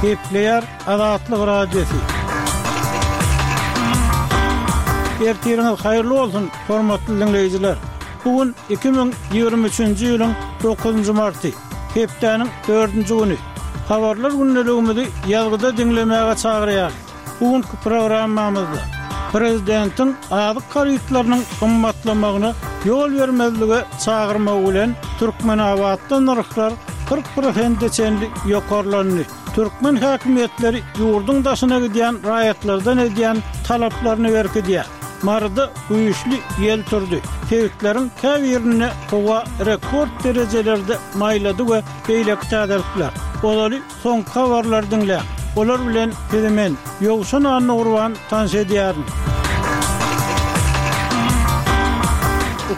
Gepleýär Azatlyk Radiosy. Ertiriňiz haýyrly bolsun, hormatly diňleýjiler! Bu gün 2023-nji ýylyň dokuzynjy marty, hepdäniň dördünji güni. Habarlar gündeligimizi ýazgyda diňlemäge çagyrýarys. Bu günki programmamyzda prezidentiň azyk harytlarynyň gymmatlamagyna ýol bermezlige çagyrmagy bilen Türkmenabatda nyrhlar 40 prosente çenli ýokarlandy. Türkmen häkimiýetleri ýurduň daşyna gidýän raýatlardan edýän talaplaryny berkidýär. Maryda güýçli ýel turdy. Sebitleriň käbirinde howa rekord derejelerde maýlady we beýleki täzelikler. Ozaly soňky habarlary diňläň. Olar bilen sizi men, Ýowşan Annagurban tanyş edýärin.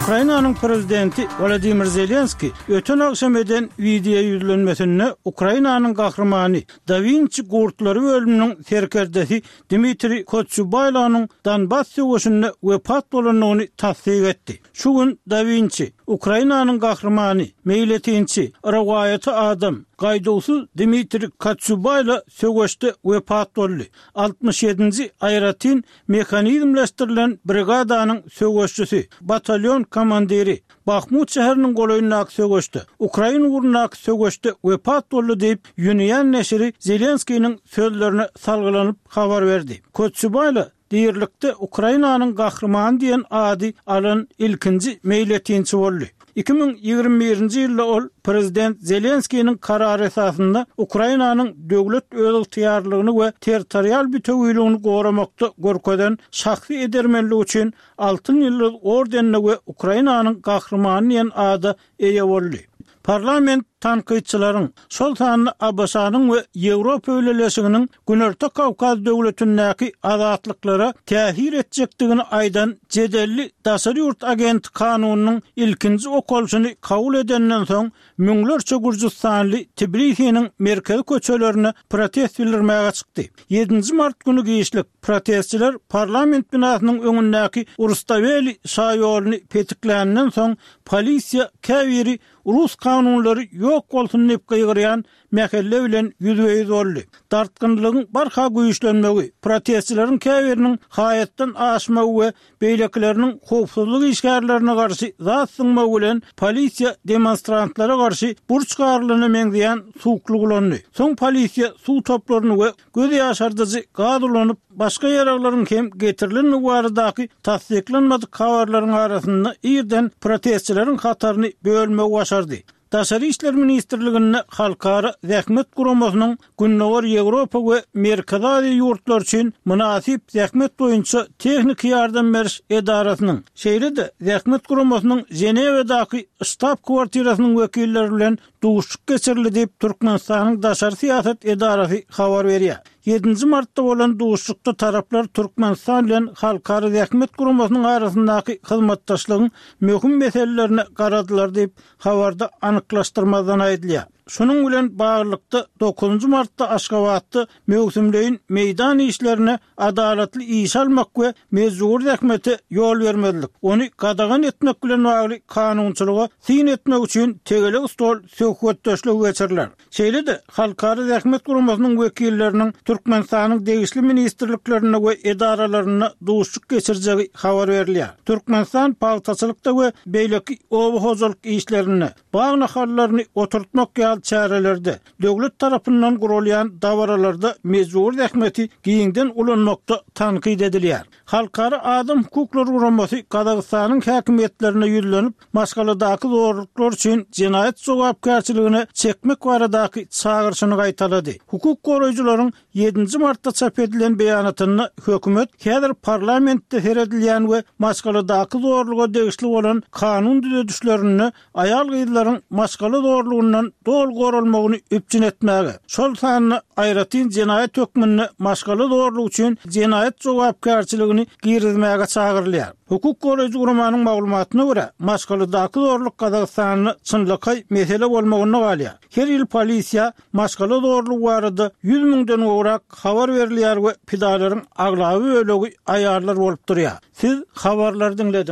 Ukrainanyň prezidenti Wolodymyr Zelenskiý öten agşam eden wideoýüzlenmesinde Ukrainanyň gahrymany, Da Winçi gurtlary bölüminiň serkerdesi Dmitriý Kotsýubaýlonyň Donbass söweşinde wepat bolandygyny tassyk etdi. Şu gün Da Winçi, Ukrainanyň gahrymany, meýletinçi, rowaýaty adam, gaýduwsyz Dmitriý Kotsýubaýlo söweşde wepat boldy. Altmyş ýedinji aýratyn mehanizmleşdirilen brigadanyň söweşçisi, batalýon komandiri, Bahmut şäheriniň golaýyndaky söweşde, ukrain ugrundaky söweşde wepat boldy diýip, Unian neşiri Zelenskiniň sözlerine salgylanyp habar berdi. Kotsýubaýla dirilikde Ukrainanyň gahrymany diýen ady alan ilkinji meýletinçi boldy. 2021-nji ýylda ol prezident Zelenskiniň karary esasynda Ukrainanyň döwlet özygtyýarlylygyny we territorial bütewiligini goramakda görkezen şahsy edermenligi üçin Altyn Ýyldyz ordenine we Ukrainanyň Gahrymany diýen ada eýe boldy. Parlament tankytçylaryň, şol sanda ABŞ-nyň we Ýewropa Bileleşiginiň Günorta Kawkaz döwletindäki azatlyklara täsir etjekdigini aýdan jedelli daşary ýurt agenti kanunynyň ilkinji okalyşyny kabul edenden soň, müňlerçe gürjüstanly Tbilisiniň merkezi köçelerine protest bildirmäge çykdy. Ýedinji mart güni giçlik, protestçiler parlament binasynyň öňündäki Rustaweli şaýoluny petikläninden soň, polisiýa käbiri rus kanunlary ýok bolsun diýip gygyrýan mähelle bilen ýüzbe-ýüz boldy. Dartgynlygyň barha güýçlenmegi, protestçileriň käbiriniň haýatdan aşmagy we beýlekileriniň howpsuzlyk işgärlerine garşy zat zyňmagy bilen polisiýa demonstrantlara garşy burç garylyna meňzeýän suwuklyk ulandy. Soň polisiýa suw toplaryny we göz ýaşardyjy gaz ulanyp, başga ýaraglaryň hem getirilendigi baradaky tassyklanmadyk habarlaryň arasynda irden protestçileriň hataryny bölmegi başardy. Daşary işler ministrliginde Halkara zähmet guramasynyň Gündogar Ýewropa we Merkezi Aziýa ýurtlary üçin mynasyp zähmet boýunça tehniki ýardam beriş edarasynyň, şeýle-de Zähmet guramasynyň Ženewadaky ştab-kwartirasynyň wekilleri bilen duşuşyk geçirildi diýip, Türkmenistanyň daşary syýasat edarasy habar berýär. Ýedinji martda bolan duşuşykda taraplar Türkmenistan bilen Halkara zähmet guramasynyň arasyndaky hyzmatdaşlygyň möhüm meselelerine garadylar diýip, habarda anyklaşdyrmazdan aýdylýar. Şunuň bilen baglylykda, dokuzynjy martda Aşgabatda möwsümleýin meýdan işlerine adalatly işe almak we mejbury zähmete ýol bermezlik, ony gadagan etmek bilen bagly kanunçylyga syn etmek üçin tegelek stol söhbetdeşligi geçiriler. Şeýle-de, Halkara zähmet guramasynyň wekilleriniň Türkmenistanyň degişli ministrliklerinde we edaralarynda duşuşyk geçirjegi habar berilýär. Türkmenistan pagtaçylykda we beýleki oba hojalyk işlerinde, bag nahallaryny oturtmak ýaly çärelerde, döwlet tarapyndan guralýan dabaralarda mejbury zähmeti giňden ulanmakda tankyt edilýär. Halkara adam hukuklary guramasy Gazagystanyň häkimiýetlerine ýüzlenip, maşgaladaky zorluklar üçin jenaýat jogapkärçiligine çekmek baradaky çagyryşyny gaýtalady. Hukuk goraýjylaryň ýedinji martda çap edilen beýanatynda hökümet häzir parlamentde seredilýän we maşgaladaky zorluga degişli bolan kanun düzedişlerinde aýal-gyzlaryň maşgala zorlugyndan doly goralmagyny üpjün etmäge, şol sanda aýratyn jenaýat hökmünde maşgala zorlugy üçin jenaýat jogapkärçiligini girizmäge çagyrylýar. Hukuk goraýjy guramanyň maglumatyna görä, maşgaladaky zorluk Gazagystanda çynlakaý mesele bolmagynda galýar. Her ýyl polisiýa maşgala zorlugy barada ýüz müňden gowrak habar berilýär we pidalaryň aglaba bölegi aýallar bolup durýar. Siz habarlary diňlediňiz.